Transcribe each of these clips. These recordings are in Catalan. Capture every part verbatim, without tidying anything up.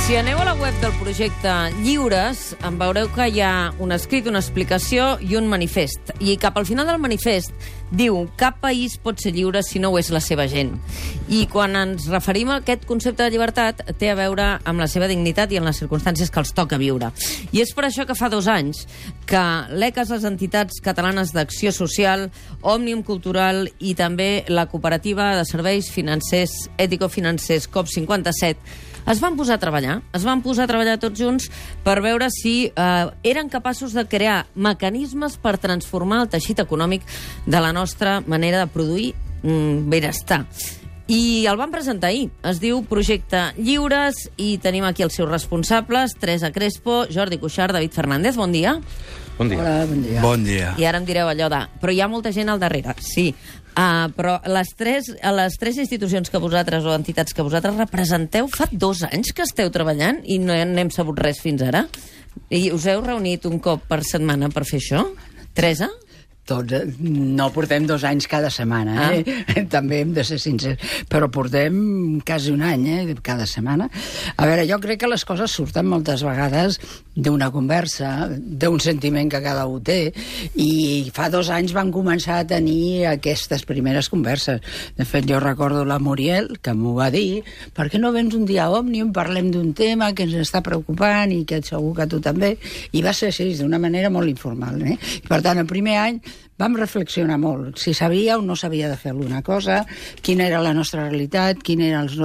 Si aneu a la web del projecte Lliures, en veureu que hi ha un escrit, una explicació i un manifest. I cap al final del manifest diu: cap país pot ser lliure si no ho és la seva gent. I quan ens referim a aquest concepte de llibertat, té a veure amb la seva dignitat i en les circumstàncies que els toca viure. I és per això que fa dos anys que l'E C A S, les entitats catalanes d'acció social, Òmnium Cultural i també la cooperativa de serveis financers, ètico-financers COP cinquanta-set, es van posar a treballar, es van posar a treballar tots junts per veure si eh, eren capaços de crear mecanismes per transformar el teixit econòmic de la nostra manera de produir mm, benestar. I el van presentar ahir. Es diu Projecte Lliures i tenim aquí els seus responsables, Teresa Crespo, Jordi Cuixart, David Fernández. Bon dia. Bon dia. Hola, bon dia. Bon dia. I ara em direu allò de... Però hi ha molta gent al darrere, sí. Uh, però les tres, les tres institucions que vosaltres, o entitats que vosaltres representeu, fa dos anys que esteu treballant i no n'hem sabut res fins ara? I us heu reunit un cop per setmana per fer això? Teresa? Tots, no portem dos anys cada setmana, eh? Ah. També hem de ser sincers, però portem quasi un any, eh? Cada setmana. A veure, jo crec que les coses surten moltes vegades d'una conversa, d'un sentiment que cada un té, i fa dos anys van començar a tenir aquestes primeres converses. De fet, jo recordo la Muriel, que m'ho va dir: per què no vens un dia a Òmnium, parlem d'un tema que ens està preocupant i que segur que tu també, i va ser així, d'una manera molt informal, eh? I per tant, el primer any vam reflexionar molt, si sabia o no sabia de fer alguna cosa, quina era la nostra realitat, quina era els,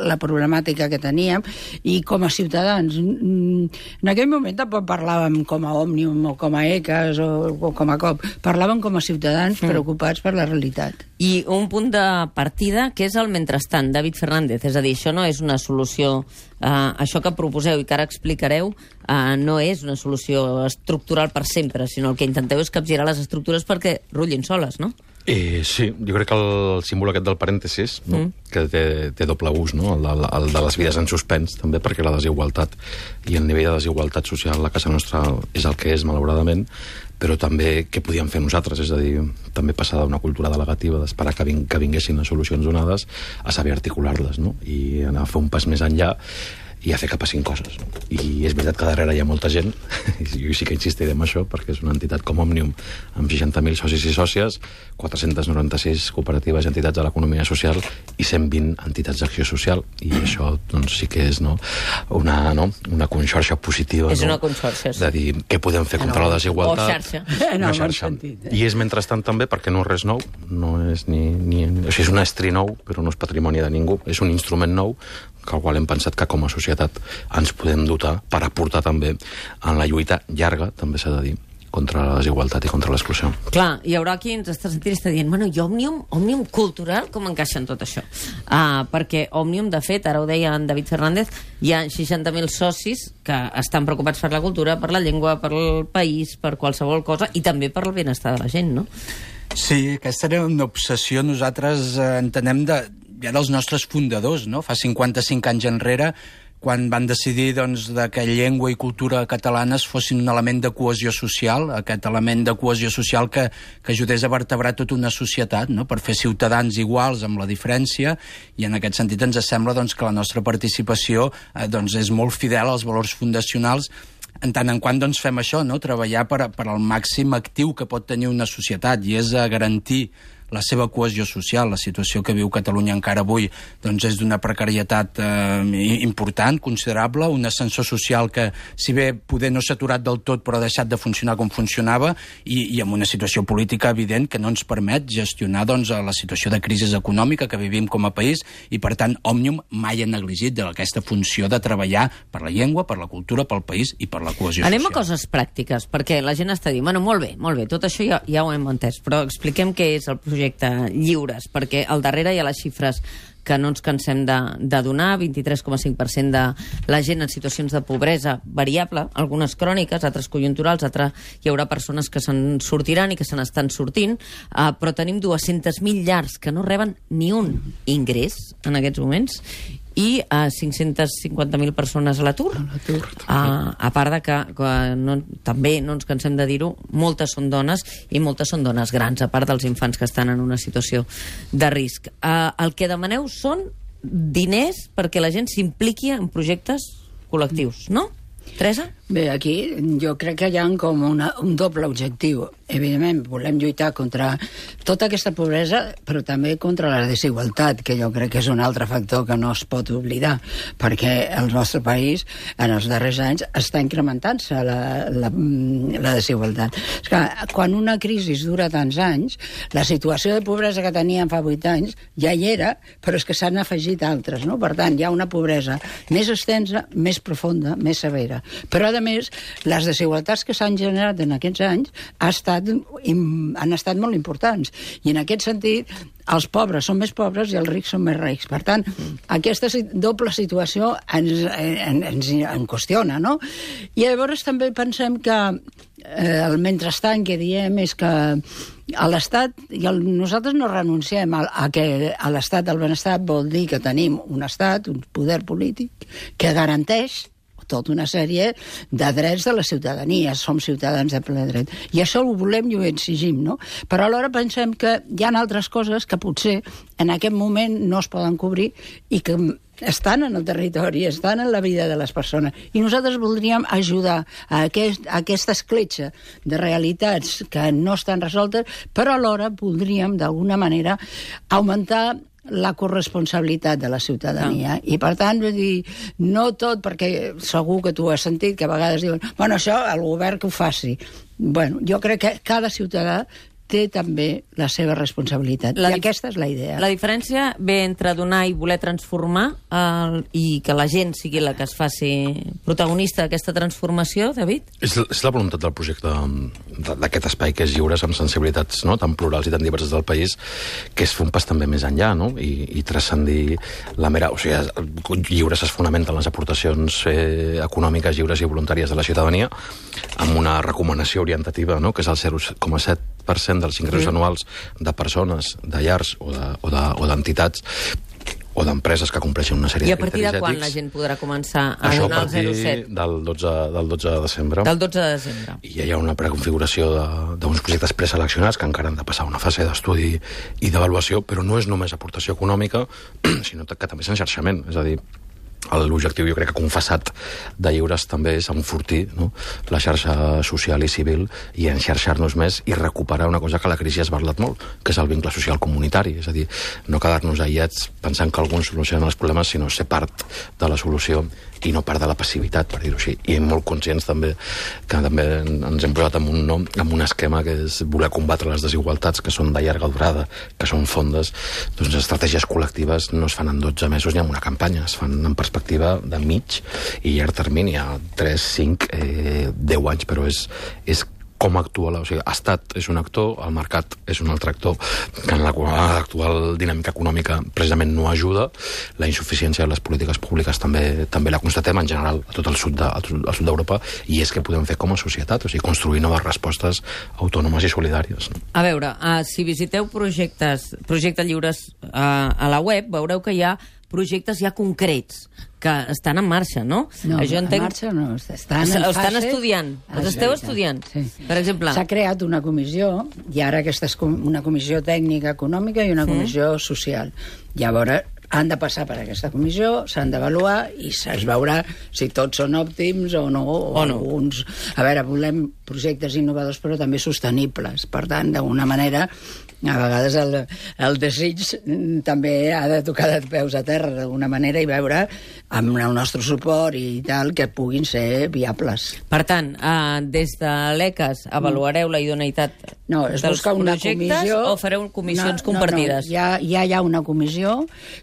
la problemàtica que teníem, i com a ciutadans. En aquell moment tampoc parlàvem com a Òmnium o com a E C A S o, o com a COP, parlàvem com a ciutadans mm. preocupats per la realitat. I un punt de partida que és el mentrestant, David Fernández, és a dir, això no és una solució, uh, això que proposeu i que ara explicareu, uh, no és una solució estructural per sempre, sinó el que intenteu és capgirar les estructures perquè rutllin soles, no? Eh, sí, jo crec que el símbol aquest del parèntesis, no? mm. que té, té doble ús, no? el, de, el de les vides en suspens, també, perquè la desigualtat i el nivell de desigualtat social a casa nostra és el que és, malauradament, però també què podíem fer nosaltres, és a dir, també passar d'una cultura delegativa, d'esperar que, ving, que vinguessin les solucions donades, a saber articular-les, no? I anar a fer un pas més enllà i a fer que passin coses. I és veritat que darrere hi ha molta gent, i jo sí que insistiré en això, perquè és una entitat com Òmnium, amb seixanta mil socis i sòcies, quatre-cents noranta-sis cooperatives i entitats de l'economia social i cent vint entitats d'acció social, i això doncs, sí que és no, una, no, una conxorxa positiva. És no? una conxorxa, sí. De dir què podem fer contra no, la desigualtat. O xarxa. En una xarxa. sentit, eh? I és mentrestant també, perquè no és res nou, no és ni, ni, o sigui, és un estri nou, però no és patrimoni de ningú, és un instrument nou que al qual hem pensat que com a societat ens podem dotar per aportar també en la lluita llarga, també s'ha de dir, contra la desigualtat i contra l'exclusió. Clar, hi haurà qui ens està sentint i està dient, bueno, i Òmnium, Òmnium cultural, com encaixa en tot això? Uh, perquè Òmnium, de fet, ara ho deia en David Fernández, hi ha seixanta mil socis que estan preocupats per la cultura, per la llengua, per el país, per qualsevol cosa, i també per el benestar de la gent, no? Sí, aquesta era una obsessió. Nosaltres eh, entenem de, ja dels nostres fundadors, no? Fa cinquanta-cinc anys enrere, quan van decidir doncs, de que llengua i cultura catalanes fossin un element de cohesió social, aquest element de cohesió social que, que ajudés a vertebrar tota una societat, no? Per fer ciutadans iguals amb la diferència, i en aquest sentit ens sembla doncs, que la nostra participació eh, doncs, és molt fidel als valors fundacionals, en tant en quant doncs, fem això, no? Treballar per, per al màxim actiu que pot tenir una societat, i és a garantir la seva cohesió social. La situació que viu Catalunya encara avui doncs, és d'una precarietat eh, important, considerable, un ascensor social que, si bé poder no s'ha aturat del tot, però ha deixat de funcionar com funcionava, i, i amb una situació política evident que no ens permet gestionar doncs, la situació de crisi econòmica que vivim com a país, i per tant Òmnium mai ha negligit aquesta funció de treballar per la llengua, per la cultura, pel país i per la cohesió Anem social. a coses pràctiques, perquè la gent està dient, bueno, molt bé, molt bé, tot això ja, ja ho hem entès, però expliquem què és el projecte Lliures, perquè al darrere hi ha les xifres que no ens cansem de, de donar, vint-i-tres coma cinc per cent de la gent en situacions de pobresa variable, algunes cròniques, altres conjunturals, altres hi haurà persones que se'n sortiran i que se n'estan sortint, uh, però tenim dues-centes mil llars que no reben ni un ingrés en aquests moments, i a cinc-centes cinquanta mil persones a l'atur. Uh, a part de que, que no, també no ens cansem de dir-ho, moltes són dones i moltes són dones grans, a part dels infants que estan en una situació de risc. Uh, el que demaneu són diners perquè la gent s'impliqui en projectes col·lectius, no? Teresa? Bé, aquí jo crec que hi ha com una, un doble objectiu. Evidentment, volem lluitar contra tota aquesta pobresa, però també contra la desigualtat, que jo crec que és un altre factor que no es pot oblidar, perquè el nostre país, en els darrers anys, està incrementant-se la, la, la desigualtat. És que quan una crisi dura tants anys, la situació de pobresa que teníem fa vuit anys ja hi era, però és que s'han afegit altres, no? Per tant, hi ha una pobresa més extensa, més profunda, més severa. Però, a més, les desigualtats que s'han generat en aquests anys ha estat, han estat molt importants. I en aquest sentit, els pobres són més pobres i els rics són més rics. Per tant, aquesta doble situació ens, ens, ens en qüestiona, no? I llavors també pensem que eh, el mentrestant que diem és que a l'Estat, i el, nosaltres no renunciem a, a que a l'Estat del benestar vol dir que tenim un Estat, un poder polític, que garanteix tota una sèrie de drets de la ciutadania. Som ciutadans de ple dret. I això ho volem i ho exigim, no? Però alhora pensem que hi ha altres coses que potser en aquest moment no es poden cobrir i que estan en el territori, estan en la vida de les persones. I nosaltres voldríem ajudar a, aquest, a aquesta escletxa de realitats que no estan resoltes, però alhora voldríem, d'alguna manera, augmentar la corresponsabilitat de la ciutadania. Ah. I, per tant, vull dir, no tot, perquè segur que tu has sentit que a vegades diuen bueno, això, el govern que ho faci. Bueno, jo crec que cada ciutadà té també la seva responsabilitat. La I aquesta és la idea. La diferència ve entre donar i voler transformar el, i que la gent sigui la que es faci protagonista d'aquesta transformació, David? És, és la voluntat del projecte d'aquest espai que és Lliures, amb sensibilitats no? tan plurals i tan diverses del país, que és fer un pas també més enllà, no? I, i transcendir la mera... O sigui, Lliures es fonamenten les aportacions eh, econòmiques lliures i voluntàries de la ciutadania amb una recomanació orientativa, no? Que és el zero coma set per cent dels ingressos sí. anuals de persones, de llars o d'entitats de, o de, o d'empreses que compleixen una sèrie de criteris ètics. I a partir de quan la gent podrà començar a Això donar el zero coma set? Això a partir del dotze, del dotze de desembre. Del dotze de desembre. I ja hi ha una preconfiguració d'uns projectes preseleccionats que encara han de passar una fase d'estudi i d'avaluació, però no és només aportació econòmica, sinó que també és enxarxament. És a dir, l'objectiu, jo crec que confessat de Lliures també és enfortir no? la xarxa social i civil i enxarxar-nos més i recuperar una cosa que la crisi ha esbarlat molt, que és el vincle social comunitari. És a dir, no quedar-nos aïllats pensant que alguns solucionen els problemes, sinó ser part de la solució i no part de la passivitat, per dir-ho així. I molt conscients també que també ens hem posat en un, no? en un esquema que és voler combatre les desigualtats que són de llarga durada, que són fondes. Doncs estratègies col·lectives no es fan en dotze mesos ni en una campanya, es fan en perspectiva de mig i llarg termini, a tres, cinc, eh, deu anys, però és, és com actua, la, o sigui, Estat és un actor, el mercat és un altre actor, que en l'actual dinàmica econòmica precisament no ajuda, la insuficiència de les polítiques públiques també també la constatem en general a tot el sud de, al sud d'Europa, i és que podem fer com a societat, o sigui, construir noves respostes autònomes i solidàries. No? A veure, uh, si visiteu projectes, projectes lliures uh, a la web, veureu que hi ha projectes ja concrets que estan en marxa, no? No, Això en entenc... marxa no, estan en estan fase... estudiant, els esteu estudiant. Sí. Per exemple... S'ha creat una comissió, i ara aquesta és una comissió tècnica econòmica i una Sí. comissió social. Llavors, han de passar per aquesta comissió, s'han d'avaluar i es veurà si tots són òptims o no, o, o no. alguns... A veure, volem projectes innovadors però també sostenibles. Per tant, d'alguna manera, a vegades el, el desig també ha de tocar de peus a terra d'alguna manera i veure amb el nostre suport i tal que puguin ser viables. Per tant, eh, des de l'E C A S avaluareu la idoneïtat No, es dels busca una projectes comissió... o fareu comissions no, compartides? No, no. Ja, ja hi ha una comissió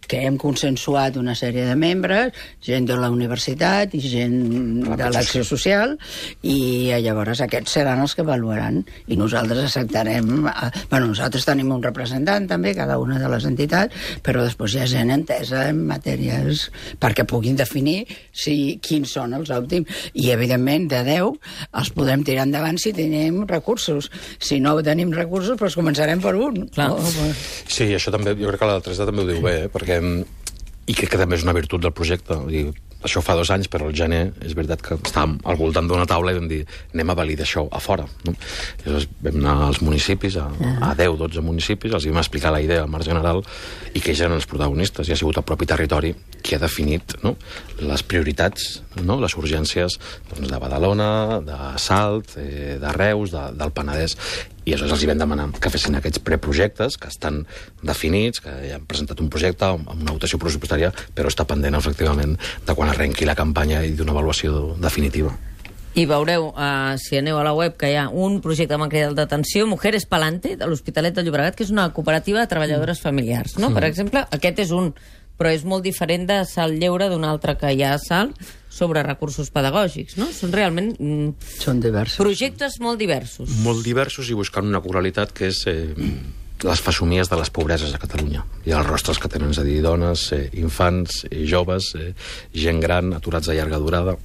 que hem consensuat una sèrie de membres, gent de la universitat i gent de l'Acció Social, i llavors aquests seran els que avaluaran i nosaltres acceptarem... Bueno, nosaltres tenim un representant també, cada una de les entitats, però després hi ha gent entesa en matèries perquè puguin definir si, quins són els òptims. I, evidentment, de deu els podem tirar endavant si tenim recursos. Si no tenim recursos, doncs començarem per un. Clar. Oh, sí, això també, jo crec que la Teresa també ho diu bé, eh? Perquè, i crec que també és una virtut del projecte. Vull dir, això fa dos anys, però al gener és veritat que estàvem al voltant d'una taula i vam dir anem a validar això a fora. No? I llavors vam anar als municipis, a, a deu o dotze municipis, els vam explicar la idea al marc general i que ells eren els protagonistes, i ha sigut el propi territori qui ha definit, no?, les prioritats, no?, les urgències, doncs, de Badalona, de Salt, eh, de Reus, de, del Penedès, i aleshores els hi vam demanar que fessin aquests preprojectes que estan definits, que ja han presentat un projecte amb una votació pressupostària, però està pendent, efectivament, de quan arrenqui la campanya i d'una avaluació definitiva. I veureu, uh, si aneu a la web, que hi ha un projecte que m'ha cridat d'atenció, Mujeres Palante, de l'Hospitalet de Llobregat, que és una cooperativa de treballadores familiars, no? Mm. Per exemple, aquest és un, però és molt diferent de Salt Lleure, d'un altre que hi ha a Salt, sobre recursos pedagògics, no? Són realment... Mm, Són diversos. Projectes molt diversos. Molt diversos i buscant una coralitat que és... Eh, les fesomies de les pobreses a Catalunya i els rostres que tenen, és a dir, dones, eh, infants, eh, joves, eh, gent gran, aturats de llarga durada.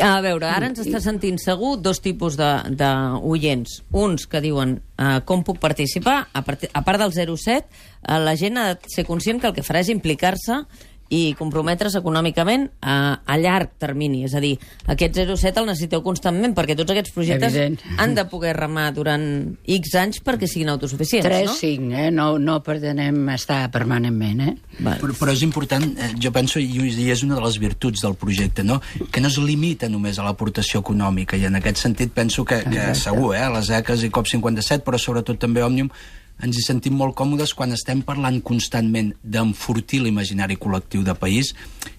A veure, ara ens està sentint segur dos tipus d'oients. Uns que diuen uh, com puc participar, a part, a part del zero set, uh, la gent ha de ser conscient que el que farà és implicar-se i comprometre's econòmicament a, a llarg termini. És a dir, aquest zero set el necessiteu constantment, perquè tots aquests projectes Evident. han de poder remar durant X anys perquè siguin autosuficients, tres, no? cinc, eh? No, no pretenem estar permanentment, eh? Però, però és important, eh, jo penso, i és una de les virtuts del projecte, no?, que no es limita només a l'aportació econòmica, i en aquest sentit penso que, que segur, eh, les E C A s i COP cinquanta-set, però sobretot també Òmnium, ens hi sentim molt còmodes quan estem parlant constantment d'enfortir l'imaginari col·lectiu de país.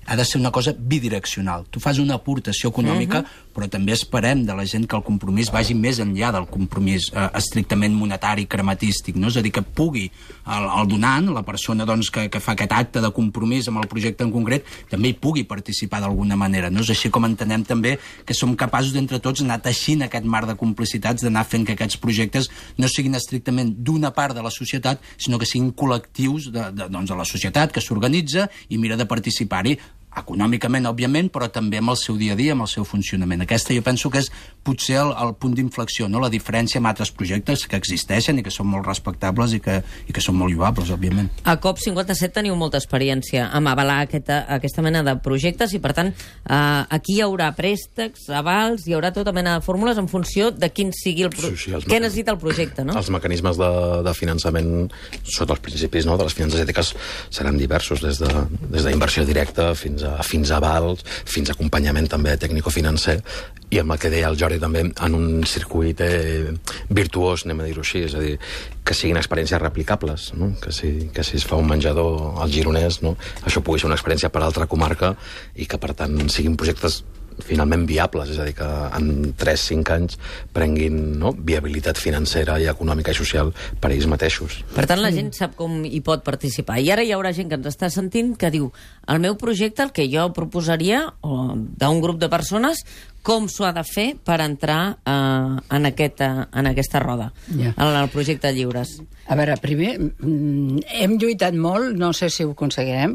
Ha de ser una cosa bidireccional. Tu fas una aportació econòmica, uh-huh. però també esperem de la gent que el compromís vagi més enllà del compromís eh, estrictament monetari, crematístic, no? És a dir, que pugui el, el donant, la persona doncs, que, que fa aquest acte de compromís amb el projecte en concret, també hi pugui participar d'alguna manera, no? És així com entenem també que som capaços d'entre tots anar teixint aquest mar de complicitats, d'anar fent que aquests projectes no siguin estrictament d'una part de la societat, sinó que siguin col·lectius de, de, doncs, de la societat que s'organitza i mira de participar-hi econòmicament, òbviament, però també amb el seu dia a dia, amb el seu funcionament. Aquesta jo penso que és potser el, el punt d'inflexió, no?, la diferència amb altres projectes que existeixen i que són molt respectables i que, i que són molt lloables, òbviament. A COP cinquanta-set teniu molta experiència amb avalar aquesta, aquesta mena de projectes i, per tant, eh, aquí hi haurà préstecs, avals, hi haurà tota mena de fórmules en funció de quin sigui el pro... sí, sí, què necessita el projecte, no? Els mecanismes de, de finançament sota els principis, no?, de les finances ètiques seran diversos, des de, des d'inversió directa fins a, fins a avals, fins a acompanyament també tècnico-financer, i amb el que deia el Jordi també, en un circuit eh, virtuós, anem a dir-ho així, és a dir, que siguin experiències replicables, no? Que, si, que si es fa un menjador al Gironès, no?, això pugui ser una experiència per a altra comarca i que, per tant, siguin projectes finalment viables, és a dir, que en tres cinc anys prenguin, no?, viabilitat financera i econòmica i social per ells mateixos. Per tant, la gent sap com hi pot participar. I ara hi haurà gent que ens està sentint que diu, el meu projecte, el que jo proposaria, o d'un grup de persones, com s'ho ha de fer per entrar uh, en, aquesta, en aquesta roda, yeah. en el projecte Lliures? A veure, primer, hem lluitat molt, no sé si ho aconseguirem,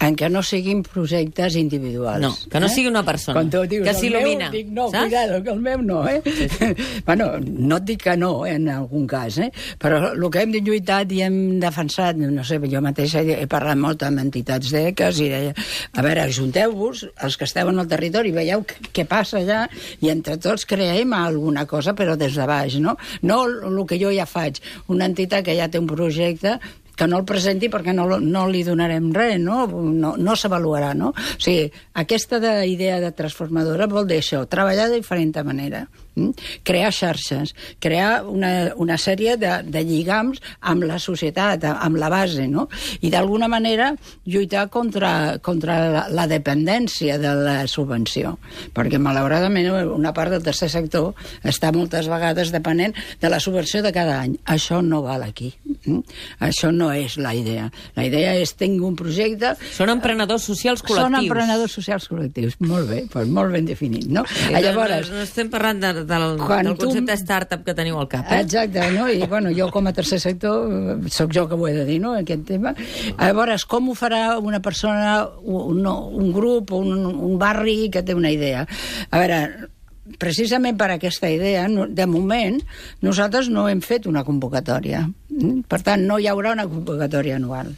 en que no siguin projectes individuals. No, que no eh? sigui una persona, dius, que s'il·lumina. Dic, no, saps? Cuidado, que el meu no, eh? Sí, sí. Bueno, no et dic que no, eh, en algun cas, eh? Però el que hem lluitat i hem defensat, no sé, jo mateixa he parlat molt amb entitats d'E C A s i deia, a veure, ajunteu-vos, els que esteu en el territori, veieu què passa allà, i entre tots creem alguna cosa, però des de baix, no? No el que jo ja faig, una entitat que ja té un projecte, que no el presenti perquè no, no li donarem res, no? No, no s'avaluarà, no? O sigui, aquesta de idea de transformadora vol dir això, treballar de diferent manera, hm? crear xarxes, crear una, una sèrie de, de lligams amb la societat, amb la base, no? I d'alguna manera lluitar contra, contra la, la dependència de la subvenció, perquè malauradament una part del tercer sector està moltes vegades depenent de la subvenció de cada any. Això no val aquí. Hm? Això no és la idea. La idea és tenir un projecte... Són emprenedors socials col·lectius. Són emprenedors socials col·lectius. Molt bé, doncs molt ben definit, no? Sí, Llavors, no, no estem parlant de, de, del, del concepte tu... startup que teniu al cap, eh? Exacte, no? I, bueno, jo com a tercer sector, sóc jo que ho he de dir, no?, aquest tema. Llavors, com ho farà una persona, un, un grup, un, un barri que té una idea? A veure... Precisament per aquesta idea, de moment, nosaltres no hem fet una convocatòria. Per tant, no hi haurà una convocatòria anual.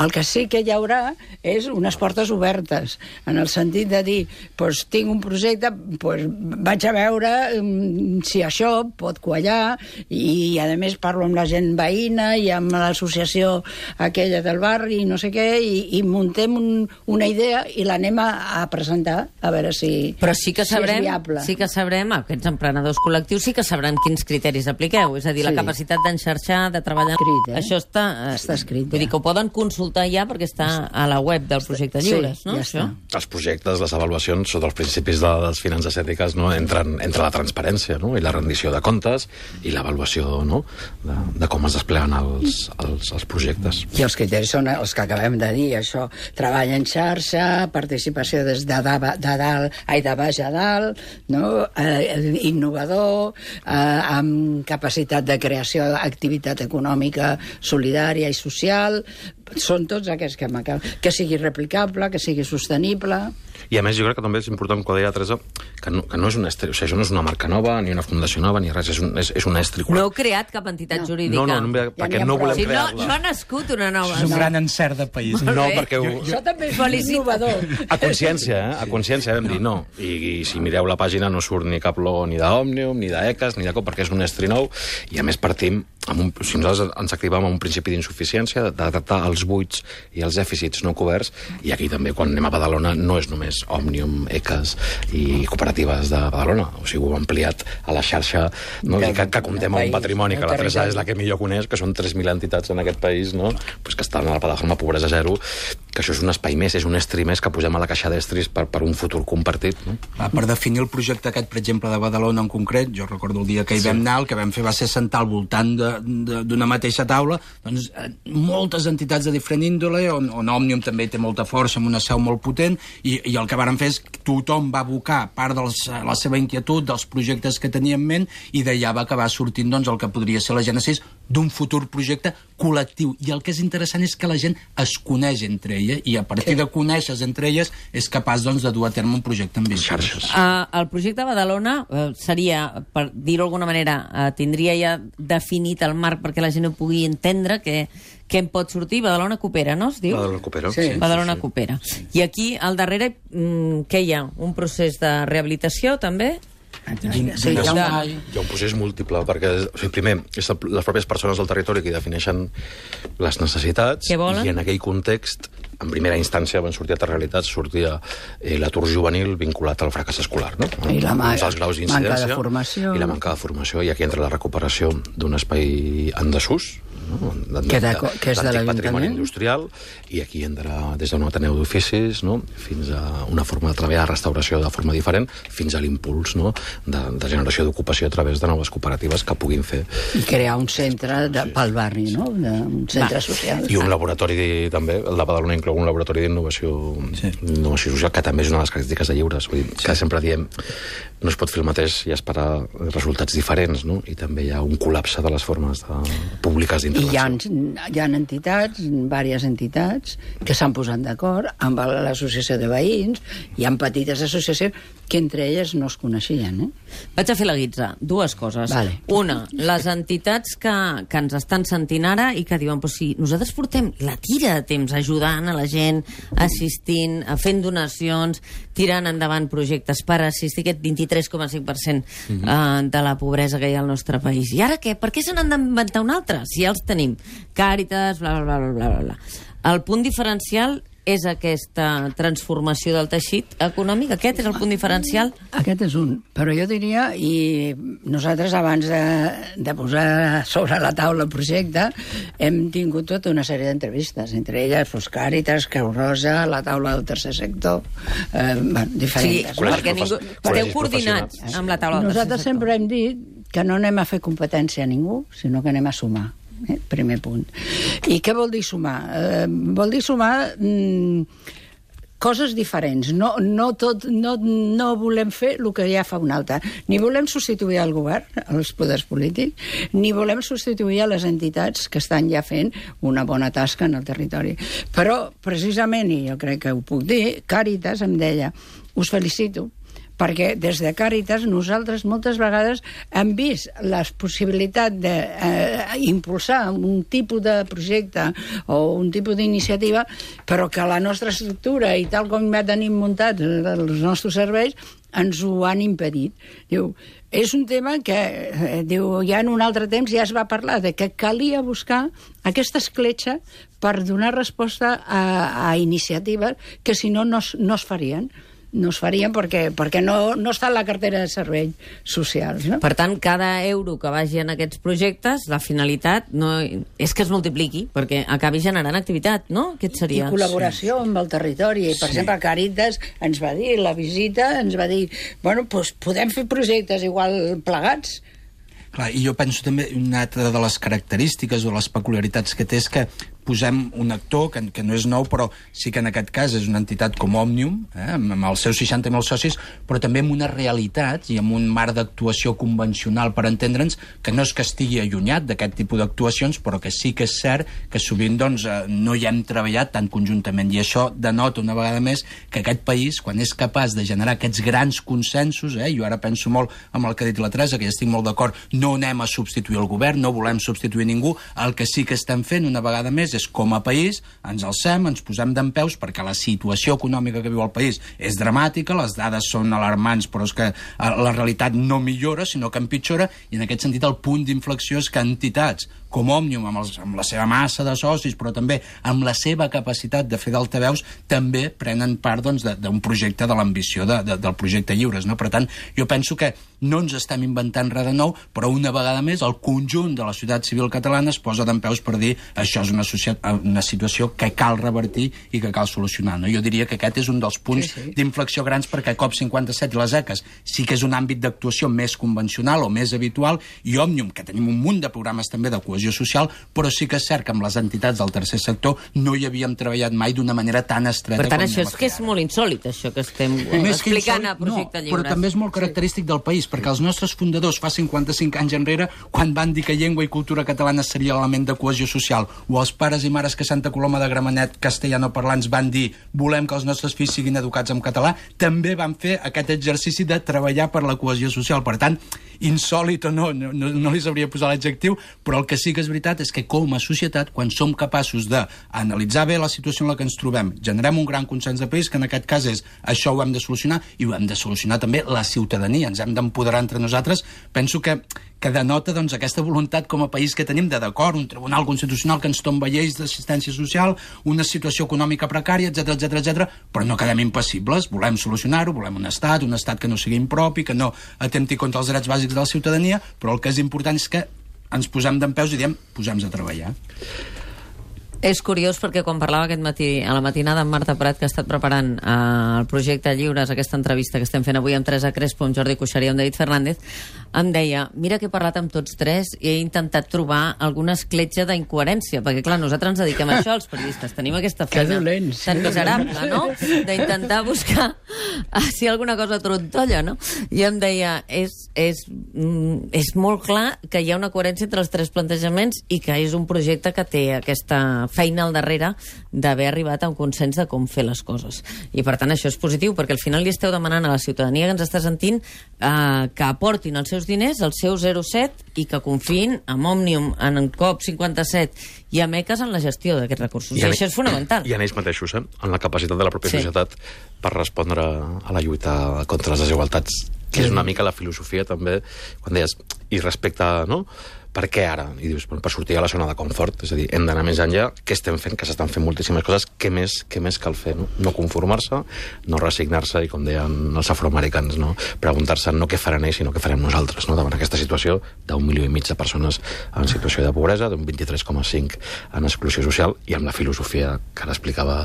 El que sí que hi haurà és unes portes obertes, en el sentit de dir, doncs tinc un projecte, doncs vaig a veure um, si això pot quallar, i a més parlo amb la gent veïna i amb l'associació aquella del barri, no sé què, i, i muntem un, una idea i l'anem a, a presentar, a veure si, Però sí que sabrem, si és viable. sí que sabrem, aquests emprenedors col·lectius, sí que sabrem quins criteris apliqueu. És a dir, Sí. la capacitat d'enxarxar, de treballar... Escrit, eh? Això està... eh, Està escrit, Vull ja. dir que ho poden consultar ja perquè està a la web del projecte Sí, Lliures, no? ja Això? està. Els projectes, les avaluacions, sota els principis de les finances ètiques, no? entren entre la transparència, no? i la rendició de comptes i l'avaluació, no? de, de com es despleguen els, els, els projectes. I els criteris són els que acabem de dir, això, treball en xarxa, participació des de, da, de dalt, ai, de baix a dalt, no? eh, innovador, eh, amb capacitat de creació d'activitat econòmica solidària i social, són tots aquests que m'acabo. Que sigui replicable, que sigui sostenible... I a més, jo crec que també és important, quan deia Teresa, que no, que no és un estri... O sigui, això no és una marca nova, ni una fundació nova, ni res, és un, és, és un estri. No heu creat cap entitat No. jurídica. No, no, no, Ja perquè n'hi ha no prou. volem Sí, no, crear-la. no ha nascut una nova. És un no. gran encert de país. Molt No, bé. perquè ho, Això també és Felicito. innovador. a consciència, eh? A consciència vam dir no. I, I si mireu la pàgina no surt ni cap logo ni d'Òmnium, ni d'Ecas, ni de cop, perquè és un estri nou, i a més partim, amb un, si nosaltres ens activem amb un principi d'insuficiència, de tractar els buits i els dèficits no coberts, i aquí també, quan anem a Badalona, no és només Òmnium, Ecas i cooperatives de Badalona, o sigui, ho hem ampliat a la xarxa, no? De- I que, que comptem amb país, un patrimoni, que del la Teresa territori. és la que millor coneix, que són tres mil entitats en aquest país, no? Pues que estan a la plataforma Pobresa Zero, que això és un espai més, és un estri més que posem a la caixa d'estris per, per un futur compartit, no? Va, per definir el projecte aquest, per exemple, de Badalona en concret, jo recordo el dia que hi Sí. vam anar, el que vam fer va ser sentar al voltant de- de- d'una mateixa taula doncs, eh, moltes entitats de diferent índole, on, on Òmnium també té molta força, amb una seu molt potent, i, i el que vàrem fer és que tothom va abocar part de la seva inquietud, dels projectes que tenia en ment, i d'allà va acabar sortint doncs, el que podria ser la gènesis d'un futur projecte col·lectiu. I el que és interessant és que la gent es coneix entre ella, i a partir de conèixer entre elles és capaç doncs, de dur a terme un projecte ambiciós. Xarxes. Uh, el projecte Badalona uh, seria, per dir-ho d'alguna manera, uh, tindria ja definit el marc perquè la gent ho pugui entendre, que, que en pot sortir. Badalona Coopera, no es diu? Badalona Coopera, Sí. sí. Badalona sí, sí. Coopera. I aquí, al darrere, mm, què hi ha? Un procés de rehabilitació, també? Sí, hi ha un... Hi ha un procés múltiple, perquè o sigui, primer, és el- les pròpies persones del territori que defineixen les necessitats, Què volen? i en aquell context, en primera instància, van sortir altres realitats, sortia eh, l'atur juvenil vinculat al fracàs escolar, no? I la ma- Uns alts graus manca de d'incidència formació. i la manca de formació, i aquí entra la recuperació d'un espai en desús, no? de, Que de- que és de l'antic l'Ajuntament. patrimoni industrial, i aquí entra des d'un ateneu d'oficis, no? fins a una forma de treballar, restauració de forma diferent, fins a l'impuls, no? de, de generació d'ocupació a través de noves cooperatives que puguin fer. I crear un centre de, pel barri, no? De, un centre Va. social. I un laboratori també, el de Badalona inclou un laboratori d'innovació Sí. d'innovació social, que també és una de les característiques de Lliures. Vull dir, que sempre diem, no es pot fer el mateix i esperar resultats diferents, no? I també hi ha un col·lapse de les formes de, públiques I d'intervenció. hi ha, hi ha entitats, diverses entitats, que s'han posat d'acord amb l'associació de veïns, hi ha petites associacions que entre elles no es coneixien, eh? Vaig a fer la guitza. Dues coses. Vale. Una, les entitats que, que ens estan sentint ara i que diuen, pues si nosaltres portem la tira de temps ajudant a la gent, assistint, a fent donacions, tirant endavant projectes per assistir aquest vint-i-tres coma cinc per cent eh, de la pobresa que hi ha al nostre país. I ara què? Per què se n'han d'inventar un altre? Si ja els tenim. Càritas, bla, bla, bla, bla, bla, bla. El punt diferencial és aquesta transformació del teixit econòmic? Aquest és el punt diferencial? Aquest és un. Però jo diria, i nosaltres abans de, de posar sobre la taula el projecte, hem tingut tota una sèrie d'entrevistes, entre elles pues, Càritas, Creu Roja, la taula del tercer sector, eh, bueno, Sí, diferents. Col·legis perquè ningú... profes- esteu col·legis coordinats professionals. amb la taula del Nosaltres tercer sector. sempre hem dit que no anem a fer competència a ningú, sinó que anem a sumar. Eh? Primer punt. I què vol dir sumar? Eh, vol dir sumar mm, coses diferents. No, no, tot, no, no volem fer el que ja fa un altre. Ni volem substituir el govern, els poders polítics, ni volem substituir a les entitats que estan ja fent una bona tasca en el territori. Però, precisament, i jo crec que ho puc dir, Càritas em deia, us felicito, perquè des de Càritas nosaltres moltes vegades hem vist la possibilitat d'impulsar eh, un tipus de projecte o un tipus d'iniciativa, però que la nostra estructura i tal com ja tenim muntats els nostres serveis ens ho han impedit. Diu, és un tema que, eh, diu, ja en un altre temps ja es va parlar de que calia buscar aquesta escletxa per donar resposta a, a iniciatives que si no no, no es farien. No es farien perquè, perquè no, no està en la cartera de serveis socials. No? Per tant, cada euro que vagi en aquests projectes, la finalitat no és que es multipliqui, perquè acabi generant activitat, no? Aquest seria... I col·laboració sí. amb el territori. Per sí. exemple, Càritas ens va dir, la visita ens va dir, bueno, doncs podem fer projectes igual plegats. Clar, i jo penso també una altra de les característiques o les peculiaritats que té és que posem un actor que, que no és nou, però sí que en aquest cas és una entitat com Òmnium, eh, amb, amb els seus seixanta mil socis, però també amb una realitat i amb un marc d'actuació convencional, per entendre'ns, que no és que estigui allunyat d'aquest tipus d'actuacions, però que sí que és cert que sovint doncs, eh, no hi hem treballat tan conjuntament. I això denota una vegada més que aquest país, quan és capaç de generar aquests grans consensos, eh, jo ara penso molt amb el que ha dit la Teresa, que ja estic molt d'acord, no anem a substituir el govern, no volem substituir ningú, el que sí que estem fent una vegada més és com a país, ens alcem, ens posem dempeus perquè la situació econòmica que viu el país és dramàtica, les dades són alarmants, però és que la realitat no millora, sinó que empitjora, i en aquest sentit el punt d'inflexió és que entitats com Òmnium, amb, els, amb la seva massa de socis, però també amb la seva capacitat de fer d'altaveus, també prenen part doncs, d'un projecte de l'ambició de, de, del projecte Lliures. No? Per tant, jo penso que no ens estem inventant res de nou, però una vegada més el conjunt de la societat civil catalana es posa dempeus per dir això és una, una situació que cal revertir i que cal solucionar. No? Jo diria que aquest és un dels punts sí, sí. d'inflexió grans, perquè COP cinquanta-set i les ECAs sí que és un àmbit d'actuació més convencional o més habitual, i Òmnium, que tenim un munt de programes també de cohesió social, però sí que és cert que amb les entitats del tercer sector no hi havíem treballat mai d'una manera tan estreta. Per tant, això és que és molt insòlit, això que estem més explicant insòlit, a Projecte no, Lliures. Però també és molt característic sí. del país, perquè els nostres fundadors fa cinquanta-cinc anys enrere, quan van dir que llengua i cultura catalana seria l'element de cohesió social, o els pares i mares que Santa Coloma de Gramenet, castellanoparlants, van dir volem que els nostres fills siguin educats en català, també van fer aquest exercici de treballar per la cohesió social. Per tant, insòlit o no, no, no, no li sabria posar l'adjectiu, però el que sí que és veritat és que com a societat, quan som capaços d'analitzar bé la situació en la que ens trobem, generem un gran consens de país, que en aquest cas és això ho hem de solucionar, i ho hem de solucionar també la ciutadania, ens hem d'empoderar entre nosaltres. Penso que, que denota doncs, aquesta voluntat com a país que tenim de d'acord, un tribunal constitucional que ens tomba lleis d'assistència social, una situació econòmica precària, etcètera, etcètera, etcètera, però no quedem impassibles, volem solucionar-ho, volem un estat, un estat que no sigui impropi, que no atempti contra els drets bàsics de la ciutadania, però el que és important és que ens posem dempeus i diem, posem-nos a treballar. És curiós perquè quan parlava aquest matí a la matinada amb Marta Prat, que ha estat preparant eh, el projecte Lliures, aquesta entrevista que estem fent avui amb Teresa Crespo, amb Jordi Cuixart i amb David Fernández, em deia, mira que he parlat amb tots tres i he intentat trobar alguna escletxa d'incoherència, perquè clar, nosaltres ens dediquem a això, els periodistes, tenim aquesta feina tan miserable, no?, d'intentar buscar si alguna cosa trontolla, no? I em deia, és, és, és molt clar que hi ha una coherència entre els tres plantejaments i que és un projecte que té aquesta feina al darrere d'haver arribat a un consens de com fer les coses. I per tant això és positiu, perquè al final li esteu demanant a la ciutadania que ens està sentint eh, que aportin els seus diners, el seu zero coma set, i que confiïn en Òmnium, en COP cinquanta-set i a ECAs en la gestió d'aquests recursos. I, I això és fonamental. I en ells mateixos, eh? En la capacitat de la pròpia sí. societat per respondre a la lluita contra les desigualtats, que és una mica la filosofia també, quan deies, i respecte, no?, per què ara? I dius, per sortir a la zona de confort, és a dir, hem d'anar més enllà, què estem fent? Que s'estan fent moltíssimes coses, què més, què més cal fer? No, no conformar-se, no resignar-se, i com deien els afroamericans, no? Preguntar-se no què faran ells, sinó què farem nosaltres, no? Davant aquesta situació d'un milió i mig de persones en situació de pobresa, d'un vint-i-tres coma cinc en exclusió social, i amb la filosofia que ara explicava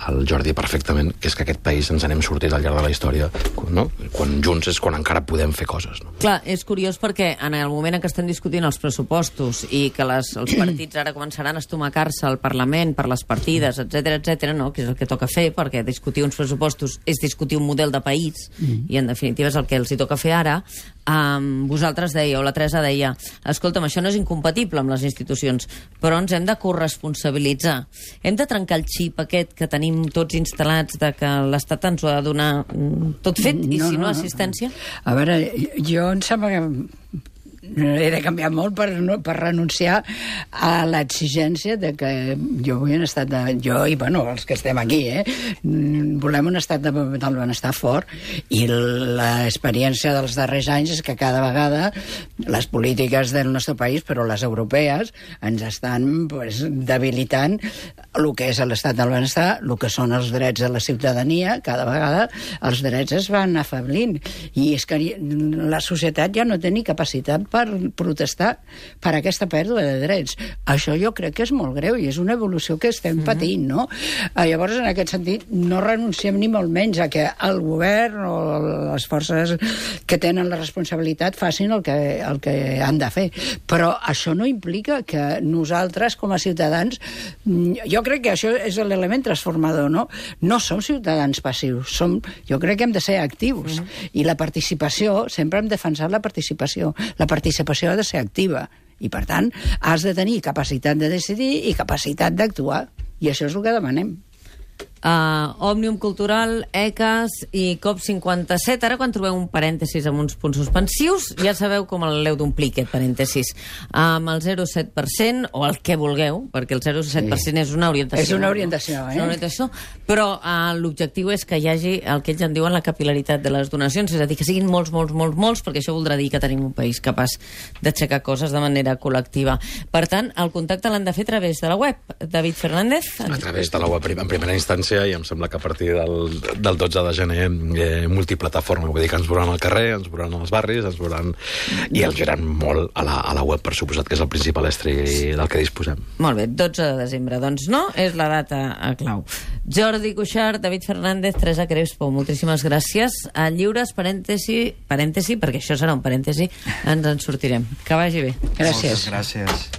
el Jordi perfectament, que és que aquest país ens n'hem sortit al llarg de la història, no? Quan junts és quan encara podem fer coses, no? Clar, és curiós perquè en el moment en què estem discutint els pressupostos pressupostos i que les, els partits ara començaran a estomacar-se al Parlament per les partides, etcètera, etcètera, no? Que és el que toca fer, perquè discutir uns pressupostos és discutir un model de país, mm. i en definitiva és el que els hi toca fer ara. Um, vosaltres dèieu, la Teresa deia, escolta'm, això no és incompatible amb les institucions, però ens hem de corresponsabilitzar. Hem de trencar el xip aquest que tenim tots instal·lats de que l'Estat ens ho ha de donar tot fet, i no, si no, no assistència? A veure, jo em sembla que he de canviar molt per, no, per renunciar a l'exigència de que jo vull un estat de... Jo i, bueno, els que estem aquí, eh? Volem un estat de, del benestar fort, i l'experiència dels darrers anys és que cada vegada les polítiques del nostre país, però les europees, ens estan pues, debilitant el que és l'estat del benestar, el que són els drets de la ciutadania. Cada vegada els drets es van afablint, i és que la societat ja no té ni capacitat per protestar per aquesta pèrdua de drets. Això jo crec que és molt greu i és una evolució que estem mm-hmm. patint, no? Eh, llavors, en aquest sentit, no renunciem ni molt menys a que el govern o les forces que tenen la responsabilitat facin el que, el que han de fer. Però això no implica que nosaltres, com a ciutadans, jo crec que això és l'element transformador, no? No som ciutadans passius, som, jo crec que hem de ser actius. Mm-hmm. I la participació, sempre hem defensat la participació. La participació ha de ser activa, i per tant has de tenir capacitat de decidir i capacitat d'actuar, i això és el que demanem. Uh, Òmnium Cultural, E C A S i COP cinquanta-set. Ara, quan trobeu un parèntesis amb uns punts suspensius, ja sabeu com l'heu d'omplir, aquest parèntesis. Amb el zero coma set per cent, o el que vulgueu, perquè el zero coma set per cent sí. és una orientació. És una orientació, eh? És una orientació, però uh, l'objectiu és que hi hagi el que ells en diuen la capil·laritat de les donacions, és a dir, que siguin molts, molts, molts, molts, perquè això voldrà dir que tenim un país capaç d'aixecar coses de manera col·lectiva. Per tant, el contacte l'han de fer a través de la web. David Fernández? A través de la web, en primera instància, i em sembla que a partir del, del dotze de gener eh, multiplataforma, vull dir que ens veuran al carrer, ens veuran als barris, ens veuran i ens veuran molt a la, a la web, per suposat, que és el principal estri del que disposem. Molt bé, dotze de desembre, doncs no, és la data a clau. Jordi Cuixart, David Fernández, Teresa Crespo, moltíssimes gràcies. A Lliures, parèntesi, parèntesi, perquè això serà un parèntesi, ens en sortirem. Que vagi bé. Gràcies. Moltes gràcies.